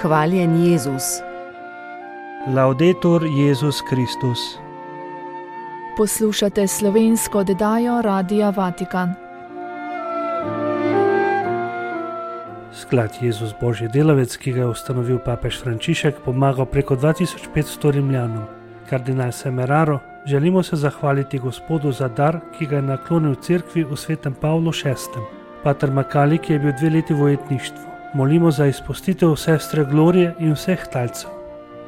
Hvaljen Jezus. Laudetur Jezus Kristus. Poslušate slovensko oddajo Radia Vatikan. Sklad Jezus Božji delavec, ki ga je ustanovil papež Frančišek, pomagal preko 2500 Rimljanom. Kardinal Semeraro, želimo se zahvaliti Gospodu za dar, ki ga je naklonil cerkvi v svetem Pavlu VI. Pater Makali, ki je bil 2 leti v ujetništvu. Molimo za izpustitev sestre Glorije in vseh talcev.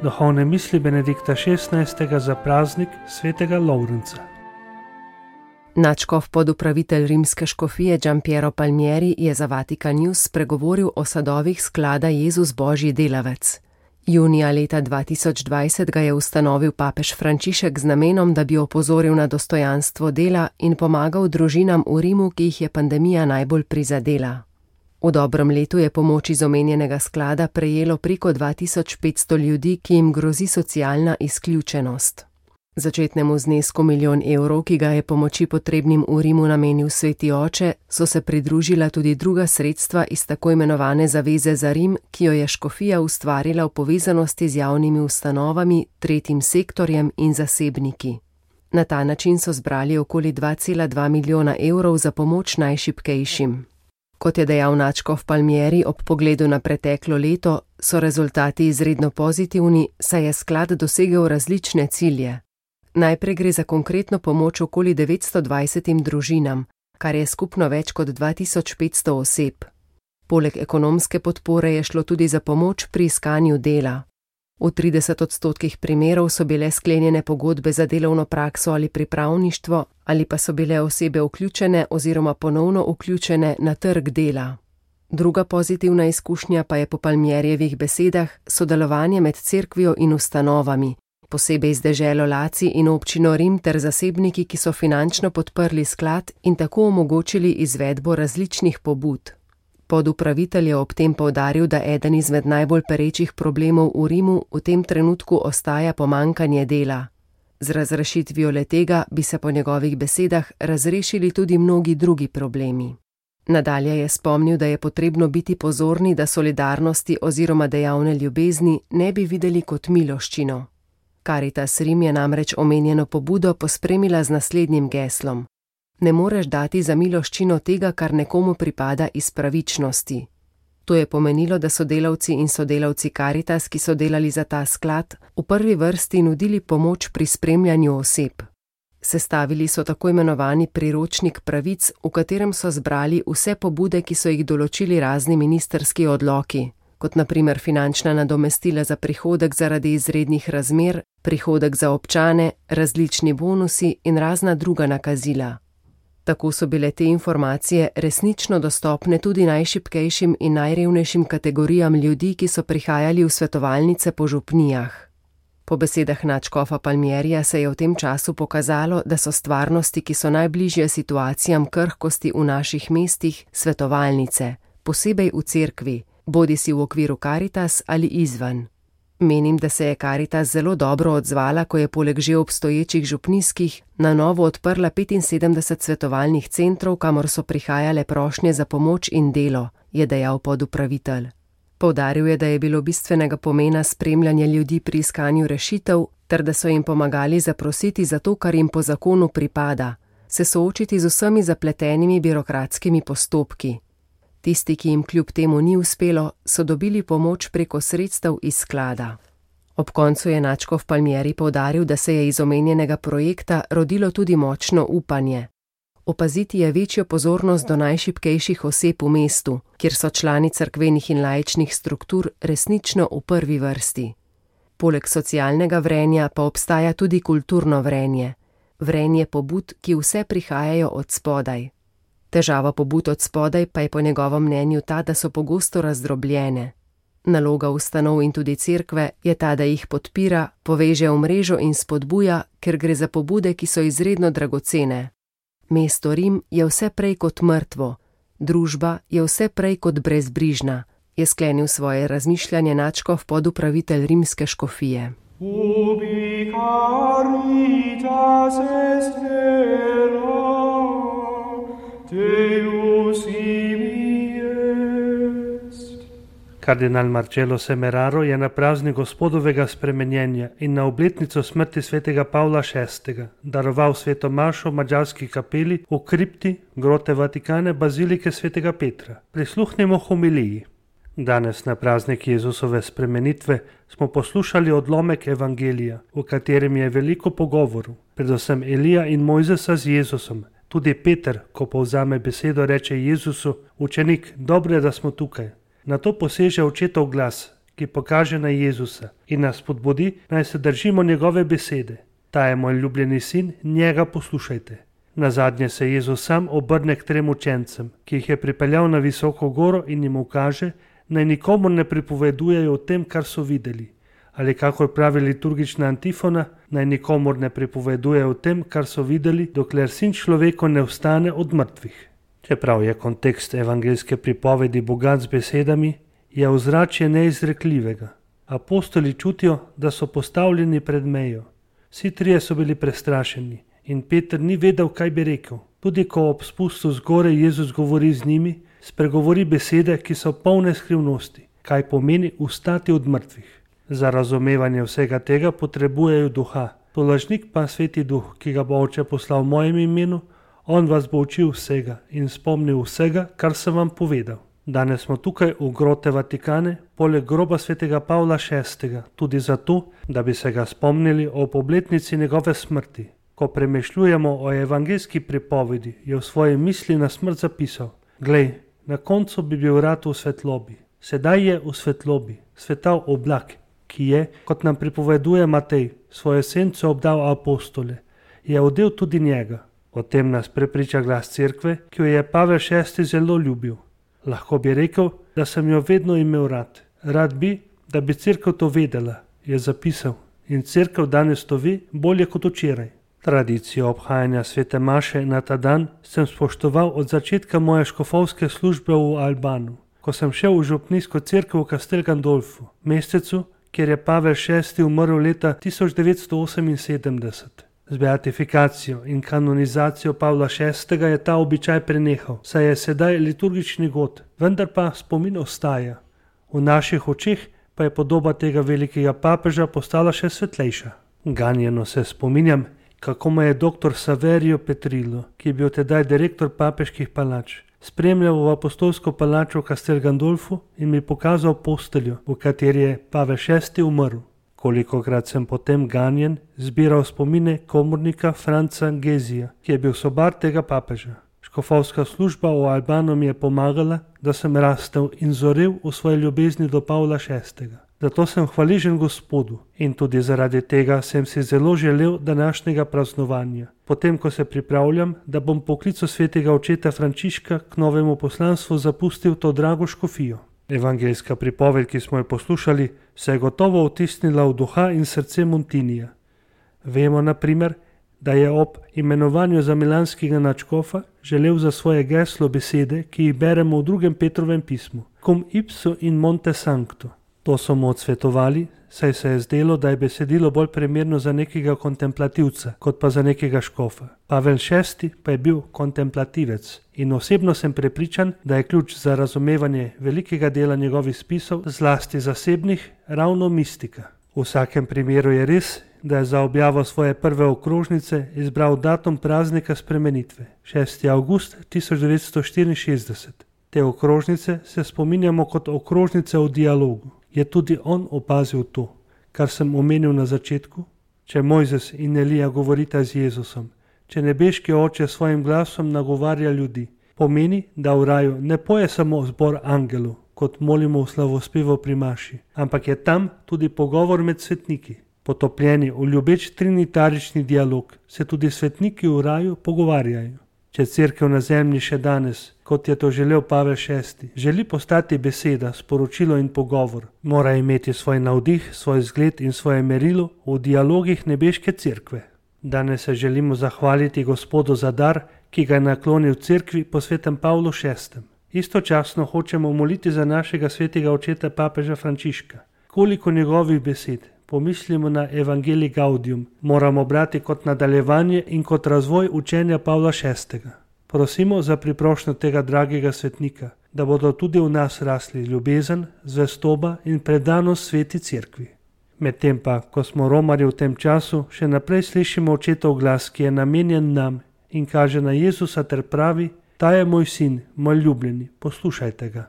Duhovne misli Benedikta XVI. Za praznik svetega Lovrenca. Nadškof podupravitelj rimske škofije Giampiero Palmieri je za Vatikan News spregovoril o sadovih sklada Jezus Božji delavec. Junija leta 2020 ga je ustanovil papež Frančišek z namenom, da bi opozoril na dostojanstvo dela in pomagal družinam v Rimu, ki jih je pandemija najbolj prizadela. V dobrem letu je pomoč iz omenjenega sklada prejelo preko 2500 ljudi, ki jim grozi socialna izključenost. Začetnemu znesku 1 milijon evrov, ki ga je pomoči potrebnim v Rimu namenil Sveti Oče, so se pridružila tudi druga sredstva iz tako imenovane Zaveze za Rim, ki jo je škofija ustvarila v povezanosti z javnimi ustanovami, tretjim sektorjem in zasebniki. Na ta način so zbrali okoli 2,2 milijona evrov za pomoč najšibkejšim. Kot je dejal nadškof Palmieri ob pogledu na preteklo leto, so rezultati izredno pozitivni, saj je sklad dosegel različne cilje. Najprej gre za konkretno pomoč okoli 920 družinam, kar je skupno več kot 2500 oseb. Poleg ekonomske podpore je šlo tudi za pomoč pri iskanju dela. V 30% primerov so bile sklenjene pogodbe za delovno prakso ali pripravništvo, ali pa so bile osebe vključene oziroma ponovno vključene na trg dela. Druga pozitivna izkušnja pa je po Palmierjevih besedah sodelovanje med cerkvijo in ustanovami, posebej z deželo Laci in občino Rim ter zasebniki, ki so finančno podprli sklad in tako omogočili izvedbo različnih pobud. Podupravitelj je ob tem poudaril, da eden izmed najbolj perečih problemov v Rimu v tem trenutku ostaja pomanjkanje dela. Z razrešitvijo le-tega bi se po njegovih besedah razrešili tudi mnogi drugi problemi. Nadalje je spomnil, da je potrebno biti pozorni, da solidarnosti oziroma dejavne ljubezni ne bi videli kot miloščino. Caritas Rim je namreč omenjeno pobudo pospremila z naslednjim geslom: Ne moreš dati za miloščino tega, kar nekomu pripada iz pravičnosti. To je pomenilo, da so delavci in sodelavci Caritas, ki so delali za ta sklad, v prvi vrsti nudili pomoč pri spremljanju oseb. Sestavili so tako imenovani priročnik pravic, v katerem so zbrali vse pobude, ki so jih določili razni ministrski odloki, kot na primer finančna nadomestila za prihodek zaradi izrednih razmer, prihodek za občane, različni bonusi in razna druga nakazila. Tako so bile te informacije resnično dostopne tudi najšibkejšim in najrevnejšim kategorijam ljudi, ki so prihajali v svetovalnice po župnijah. Po besedah nadškofa Palmierija se je v tem času pokazalo, da so stvarnosti, ki so najbližje situacijam krhkosti v naših mestih, svetovalnice, posebej v cerkvi, bodisi v okviru Caritas ali izven. Menim, da se je Caritas zelo dobro odzvala, ko je poleg že obstoječih župnijskih na novo odprla 75 svetovalnih centrov, kamor so prihajale prošnje za pomoč in delo, je dejal podupravitelj. Poudaril je, da je bilo bistvenega pomena spremljanje ljudi pri iskanju rešitev, ter da so jim pomagali zaprositi za to, kar jim po zakonu pripada, se soočiti z vsemi zapletenimi birokratskimi postopki. Tisti, ki jim kljub temu ni uspelo, so dobili pomoč preko sredstev iz sklada. Ob koncu je nadškof Palmieri poudaril, da se je iz omenjenega projekta rodilo tudi močno upanje. Opaziti je večjo pozornost do najšibkejših oseb v mestu, kjer so člani cerkvenih in laičnih struktur resnično v prvi vrsti. Poleg socialnega vrenja pa obstaja tudi kulturno vrenje. Vrenje pobud, ki vse prihajajo od spodaj. Težava pobud od spodaj pa je po njegovem mnenju ta, da so pogosto razdrobljene. Naloga ustanov in tudi cerkve je ta, da jih podpira, poveže v mrežo in spodbuja, ker gre za pobude, ki so izredno dragocene. Mesto Rim je vse prej kot mrtvo, družba je vse prej kot brezbrižna, je sklenil svoje razmišljanje nadškof podupravitelj rimske škofije. Ubi caritas est vera, Deus imi est. Kardinal Marcello Semeraro je na praznik Gospodovega spremenjenja in na obletnico smrti svetega Pavla VI. Daroval sveto mašo v madžarski kapeli v kripti grote Vatikane bazilike svetega Petra. Prisluhnimo homiliji. Danes na praznik Jezusove spremenitve smo poslušali odlomek evangelija, v katerem je veliko pogovorov, predvsem Elija in Mojzesa z Jezusom. Tudi Peter, ko povzame besedo, reče Jezusu: učenik, dobro je, da smo tukaj. Nato poseže očetov glas, ki pokaže na Jezusa in nas spodbudi, naj se držimo njegove besede. Ta je moj ljubljeni sin, njega poslušajte. Nazadnje se Jezus sam obrne k 3 učencem, ki jih je pripeljal na visoko goro in jim ukaže, naj nikomur ne pripovedujejo o tem, kar so videli. Ali kakor pravi liturgična antifona, naj nikomur ne pripovedujejo o tem, kar so videli, dokler sin človeka ne vstane od mrtvih. Čeprav je kontekst evangeljske pripovedi bogat z besedami, je ozračje neizrekljivega. Apostoli čutijo, da so postavljeni pred mejo. Vsi trije so bili prestrašeni in Peter ni vedel, kaj bi rekel. Tudi ko ob spustu z gore Jezus govori z njimi, spregovori besede, ki so polne skrivnosti, kaj pomeni vstati od mrtvih. Za razumevanje vsega tega potrebujejo duha. Tolažnik pa Sveti Duh, ki ga bo Oče poslal v mojem imenu, on vas bo učil vsega in spomnil vsega, kar sem vam povedal. Danes smo tukaj v grote Vatikane, poleg groba svetega Pavla VI, tudi zato, da bi se ga spomnili ob obletnici njegove smrti. Ko premišljujemo o evangeljski pripovedi, je v svoji misli na smrt zapisal: glej, na koncu bi bil rad v svetlobi. Sedaj je v svetlobi, svetal oblak, ki je, kot nam pripoveduje Matej, svoje senco obdal apostole, je odel tudi njega. O tem nas prepriča glas cerkve, ki jo je Pavel VI zelo ljubil. Lahko bi rekel, da sem jo vedno imel rad. Rad bi, da bi cerkev to vedela, je zapisal, in cerkev danes to ve bolje kot včeraj. Tradicijo obhajanja svete maše na ta dan sem spoštoval od začetka moje škofovske službe v Albanu, ko sem šel v župnijsko cerkev v Castel Gandolfu, mestecu, kjer je Pavel VI umrl leta 1978. Z beatifikacijo in kanonizacijo Pavla VI je ta običaj prenehal, saj je sedaj liturgični god, vendar pa spomin ostaja. V naših očeh pa je podoba tega velikega papeža postala še svetlejša. Ganjeno se spominjam, kako me je dr. Saverio Petrillo, ki je bil tedaj direktor papeških palač, spremljal v apostolsko palačo v Castel Gandolfu in mi pokazal posteljo, v kateri je Pavel VI umrl. Kolikokrat sem potem ganjen zbiral spomine komornika Franca Gezija, ki je bil sobar tega papeža. Škofovska služba v Albanu mi je pomagala, da sem rastel in zorel v svoji ljubezni do Pavla VI. Zato sem hvaležen Gospodu in tudi zaradi tega sem si zelo želel današnjega praznovanja. Potem, ko se pripravljam, da bom po klicu svetega očeta Frančiška k novemu poslanstvu zapustil to drago škofijo. Evangeljska pripoved, ki smo jo poslušali, se je gotovo vtisnila v duha in srce Montinija. Vemo, na primer, da je ob imenovanju za milanskega nadškofa želel za svoje geslo besede, ki jih beremo v 2. Petrovem pismu: cum ipso in monte sancto. To so mu odsvetovali, saj se je zdelo, da je besedilo bolj primerno za nekega kontemplativca, kot pa za nekega škofa. Pavel VI pa je bil kontemplativec in osebno sem prepričan, da je ključ za razumevanje velikega dela njegovih spisov, zlasti zasebnih, ravno mistika. V vsakem primeru je res, da je za objavo svoje prve okrožnice izbral datum praznika spremenitve, 6. avgust 1964. Te okrožnice se spominjamo kot okrožnice v dialogu. Je tudi on opazil to, kar sem omenil na začetku? Če Mojzes in Elija govorita z Jezusom, če nebeški Oče s svojim glasom nagovarja ljudi, pomeni, da v raju ne poje samo zbor angelov, kot molimo v slavospevu pri maši, ampak je tam tudi pogovor med svetniki. Potopljeni v ljubeč trinitarični dialog se tudi svetniki v raju pogovarjajo. Če cerkev na zemlji še danes, kot je to želel Pavel VI, želi postati beseda, sporočilo in pogovor, mora imeti svoj navdih, svoj zgled in svoje merilo v dialogih nebeške cerkve. Danes se želimo zahvaliti Gospodu za dar, ki ga je naklonil cerkvi po svetem Pavlu VI. Istočasno hočemo moliti za našega svetega očeta papeža Frančiška. Koliko njegovih besed, pomislimo na Evangelij Gaudium, moramo brati kot nadaljevanje in kot razvoj učenja Pavla VI. Prosimo za priprošnjo tega dragega svetnika, da bodo tudi v nas rasli ljubezen, zvestoba in predanost sveti cerkvi. Medtem pa, ko smo romarji v tem času, še naprej slišimo očetov glas, ki je namenjen nam in kaže na Jezusa ter pravi: ta je moj sin, moj ljubljeni, poslušajte ga.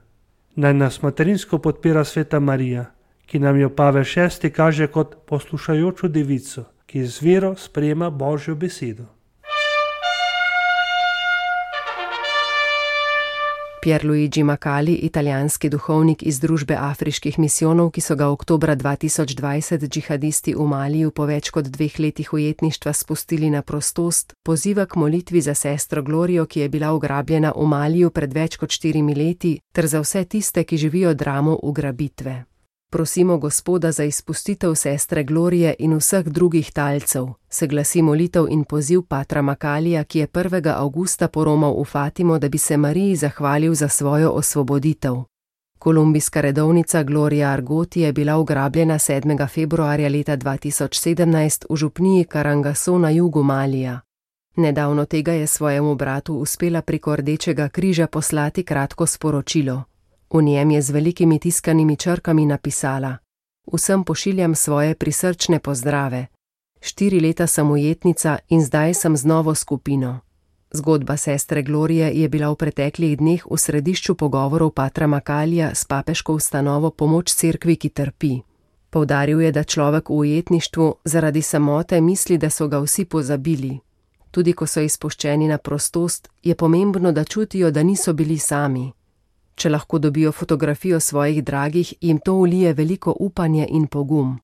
Naj nas materinsko podpira sveta Marija, ki nam jo Pavel VI kaže kot poslušajočo devico, ki z vero sprejema Božjo besedo. Pierluigi Macali, italijanski duhovnik iz Družbe afriških misijonov, ki so ga oktobra 2020 džihadisti v Maliju po več kot 2 letih ujetništva spustili na prostost, poziva k molitvi za sestro Glorijo, ki je bila ugrabljena v Maliju pred več kot 4 leti, ter za vse tiste, ki živijo dramo ugrabitve. Prosimo Gospoda za izpustitev sestre Glorije in vseh drugih talcev, se glasi molitev in poziv patra Macalija, ki je 1. avgusta poromal v Fatimo, da bi se Mariji zahvalil za svojo osvoboditev. Kolumbijska redovnica Gloria Argoti je bila ugrabljena 7. februarja leta 2017 v župniji Karangaso na jugu Malija. Nedavno tega je svojemu bratu uspela preko Rdečega križa poslati kratko sporočilo. V njem je z velikimi tiskanimi črkami napisala: vsem pošiljam svoje prisrčne pozdrave. 4 leta sem ujetnica in zdaj sem z novo skupino. Zgodba sestre Glorije je bila v preteklih dneh v središču pogovorov patra Macalija s papeško ustanovo Pomoč cerkvi, ki trpi. Poudaril je, da človek v ujetništvu zaradi samote misli, da so ga vsi pozabili. Tudi ko so izpuščeni na prostost, je pomembno, da čutijo, da niso bili sami. Če lahko dobijo fotografijo svojih dragih, jim to vlije veliko upanje in pogum.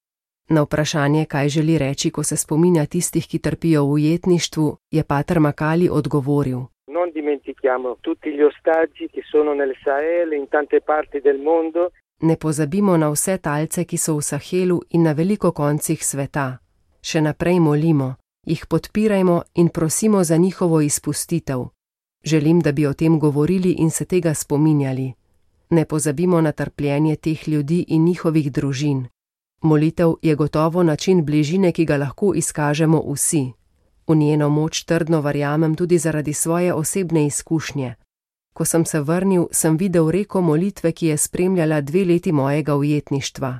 Na vprašanje, kaj želi reči, ko se spominja tistih, ki trpijo v ujetništvu, je pater Macali odgovoril: Non dimentichiamo tutti gli ostaggi che sono nel Sahel in tante parti del mondo. Ne pozabimo na vse talce, ki so v Sahelu in na veliko koncih sveta. Še naprej molimo, jih podpirajmo in prosimo za njihovo izpustitev. Želim, da bi o tem govorili in se tega spominjali. Ne pozabimo na trpljenje teh ljudi in njihovih družin. Molitev je gotovo način bližine, ki ga lahko izkažemo vsi. V njeno moč trdno verjamem tudi zaradi svoje osebne izkušnje. Ko sem se vrnil, sem videl reko molitve, ki je spremljala 2 leti mojega ujetništva.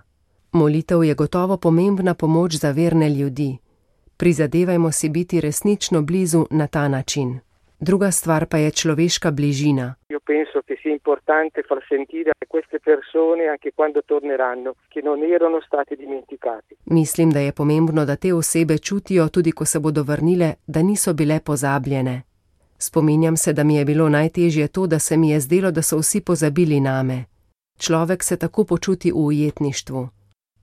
Molitev je gotovo pomembna pomoč za verne ljudi. Prizadevajmo si biti resnično blizu na ta način. Druga stvar pa je človeška bližina. Io penso che sia importante far sentire a queste persone anche quando torneranno che non erano state dimenticate. Mislim, da je pomembno, da te osebe čutijo tudi, ko se bodo vrnile, da niso bile pozabljene. Spominjam se, da mi je bilo najtežje to, da se mi je zdelo, da so vsi pozabili name. Človek se tako počuti v ujetništvu.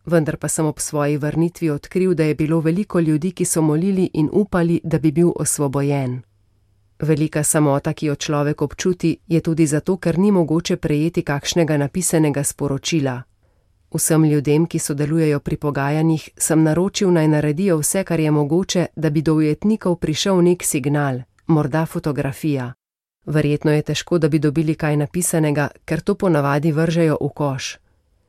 Vendar pa sem ob svoji vrnitvi odkril, da je bilo veliko ljudi, ki so molili in upali, da bi bil osvobojen. Velika samota, ki jo človek občuti, je tudi zato, ker ni mogoče prejeti kakšnega napisanega sporočila. Vsem ljudem, ki sodelujejo pri pogajanjih, sem naročil, naj naredijo vse, kar je mogoče, da bi do ujetnikov prišel nek signal, morda fotografija. Verjetno je težko, da bi dobili kaj napisanega, ker to ponavadi vržejo v koš.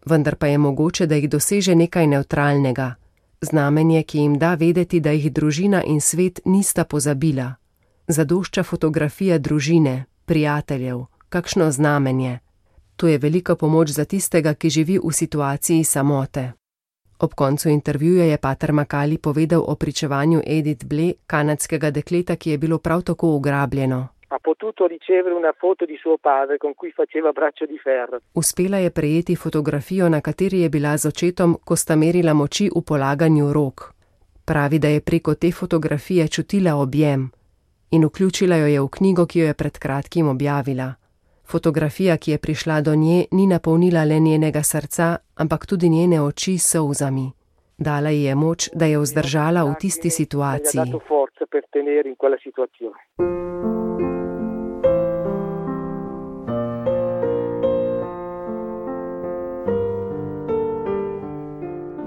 Vendar pa je mogoče, da jih doseže nekaj nevtralnega. Znamenje, ki jim da vedeti, da jih družina in svet nista pozabila. Zadošča fotografija družine, prijateljev, kakšno znamenje. To je velika pomoč za tistega, ki živi v situaciji samote. Ob koncu intervjuja je pater Macali povedal o pričevanju Edith Blé, kanadskega dekleta, ki je bilo prav tako ugrabljeno. Ha potuto ricevere una foto di suo padre con cui faceva braccio di ferro. Uspela je prejeti fotografijo, na kateri je bila z očetom, ko sta merila moči v polaganju rok. Pravi, da je preko te fotografije čutila objem in vključila jo je v knjigo, ki jo je pred kratkim objavila. Fotografija, ki je prišla do nje, ni napolnila le njenega srca, ampak tudi njene oči s solzami. Dala ji je moč, da je vzdržala v tisti situaciji.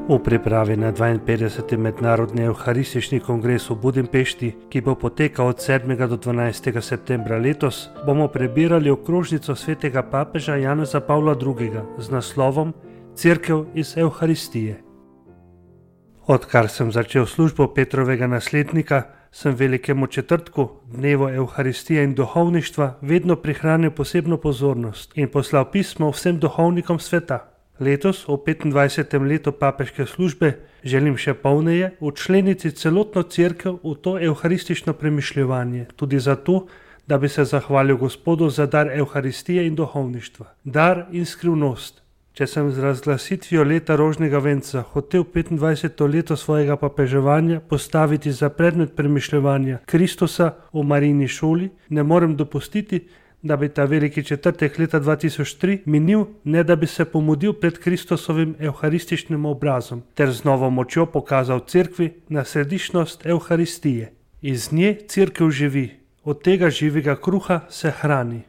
V pripravi na 52. mednarodni evharistični kongres v Budimpešti, ki bo potekal od 7. do 12. septembra letos, bomo prebirali okrožnico svetega papeža Janeza Pavla II. Z naslovom Cerkev iz Evharistije. Odkar sem začel službo Petrovega naslednika, sem velikemu četrtku, dnevu Evharistije in duhovništva, vedno prihranil posebno pozornost in poslal pismo vsem duhovnikom sveta. Letos, v 25. letu papeške službe, želim še polneje včleniti celotno cerkev v to evharistično premišljevanje, tudi zato, da bi se zahvalil Gospodu za dar Evharistije in duhovništva. Dar in skrivnost. Če sem z razglasitvijo leta rožnega venca hotel 25. leto svojega papeževanja postaviti za predmet premišljevanja Kristusa v Marijini šoli, ne morem dopustiti, da bi ta veliki četrtek leta 2003 minil, ne da bi se pomudil pred Kristusovim evharističnim obrazom ter z novo močjo pokazal cerkvi na središčnost Evharistije. Iz nje cerkev živi, od tega živega kruha se hrani.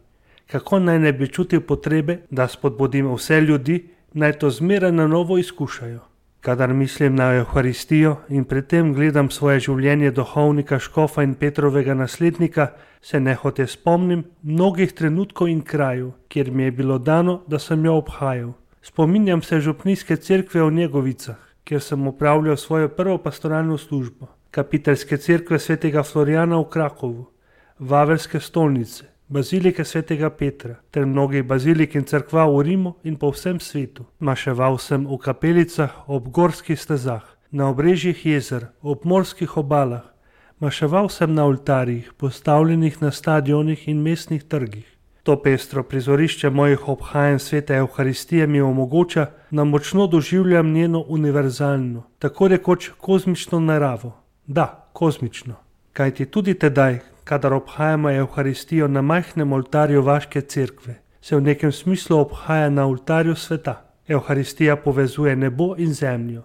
Kako naj ne bi čutil potrebe, da spodbudim vse ljudi, naj to zmeraj na novo izkušajo. Kadar mislim na Evharistijo in pri tem gledam svoje življenje duhovnika Škofa in Petrovega naslednika, se nehote spomnim mnogih trenutkov in krajev, kjer mi je bilo dano, da sem jo obhajal. Spominjam se župnijske cerkve v Njegovicah, kjer sem opravljal svojo prvo pastoralno službo, kapiteljske cerkve svetega Florijana v Krakovu, Vavelske stolnice, bazilike svetega Petra ter mnogih bazilik in cerkva v Rimu in po vsem svetu. Maševal sem v kapelicah, ob gorskih stezah, na obrežjih jezer, ob morskih obalah. Maševal sem na oltarjih, postavljenih na stadionih in mestnih trgih. To pestro prizorišče mojih obhajanj svete Evharistije mi omogoča, da močno doživljam njeno univerzalno, tako rekoč kozmično naravo. Da, kozmično. Kajti tudi tedaj, kadar obhajamo Evharistijo na majhnem oltarju vaške cerkve, se v nekem smislu obhaja na oltarju sveta. Evharistija povezuje nebo in zemljo,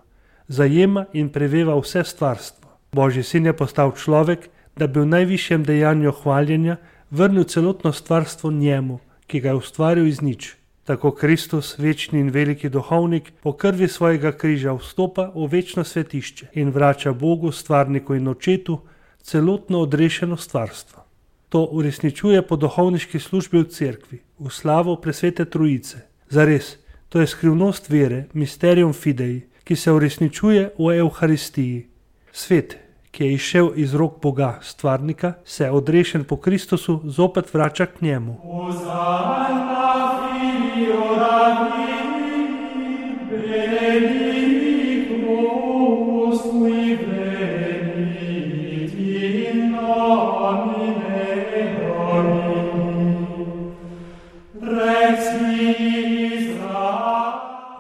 zajema in preveva vse stvarstvo. Božji sin je postal človek, da bi v najvišjem dejanju hvaljenja vrnil celotno stvarstvo njemu, ki ga je ustvaril iz nič. Tako Kristus, večni in veliki duhovnik, po krvi svojega križa vstopa v večno svetišče in vrača Bogu, stvarniku in očetu, celotno odrešeno stvarstvo. To uresničuje po duhovniški službi v cerkvi, v slavo presvete trojice. Zares, to je skrivnost vere, mysterium fidei, ki se uresničuje v Evharistiji. Svet, ki je izšel iz rok Boga, stvarnika, se odrešen po Kristusu zopet vrača k njemu.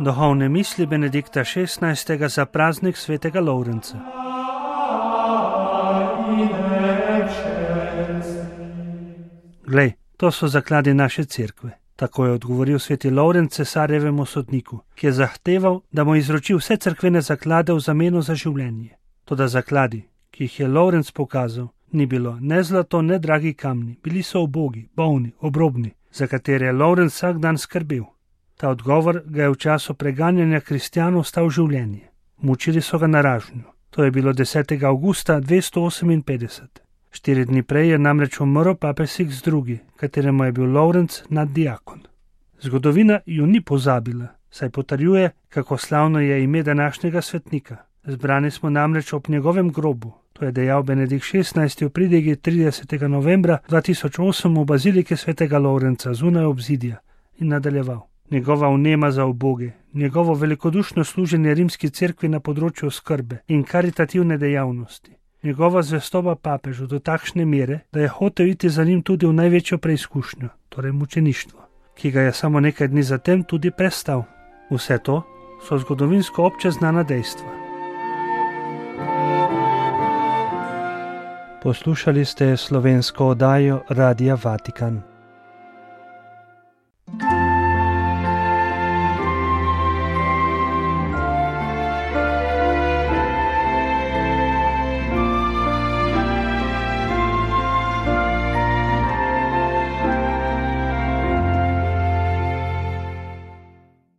Duhovne misli Benedikta XVI. Za praznik svetega Lovrenca. Glej, to so zakladi naše cerkve. Tako je odgovoril sveti Lovrenc cesarjevemu sodniku, ki je zahteval, da mu izroči vse cerkvene zaklade v zameno za življenje. Toda zakladi, ki jih je Lovrenc pokazal, ni bilo ne zlato, ne dragi kamni, bili so ubogi, bolni, obrobni, za katere je Lovrenc vsak dan skrbel. Ta odgovor ga je v času preganjanja kristjanov stal življenje. Mučili so ga na ražnju. To je bilo 10. avgusta 258. 4 dni prej je namreč umrl papež Sixtus II., kateremu je bil Lovrenc naddiakon. Zgodovina ju ni pozabila, saj potrjuje, kako slavno je ime današnjega svetnika. Zbrani smo namreč ob njegovem grobu, to je dejal Benedikt XVI. V pridigi 30. novembra 2008 v bazilike svetega Lovrenca zunaj obzidja in nadaljeval. Njegova vnema za uboge, njegovo velikodušno služenje rimski cerkvi na področju skrbe in karitativne dejavnosti, njegova zvestoba papežu do takšne mere, da je hotel iti za njim tudi v največjo preizkušnjo, torej mučeništvo, ki ga je samo nekaj dni zatem tudi prestal. Vse to so zgodovinsko obče znana dejstva. Poslušali ste slovensko oddajo Radia Vatikan.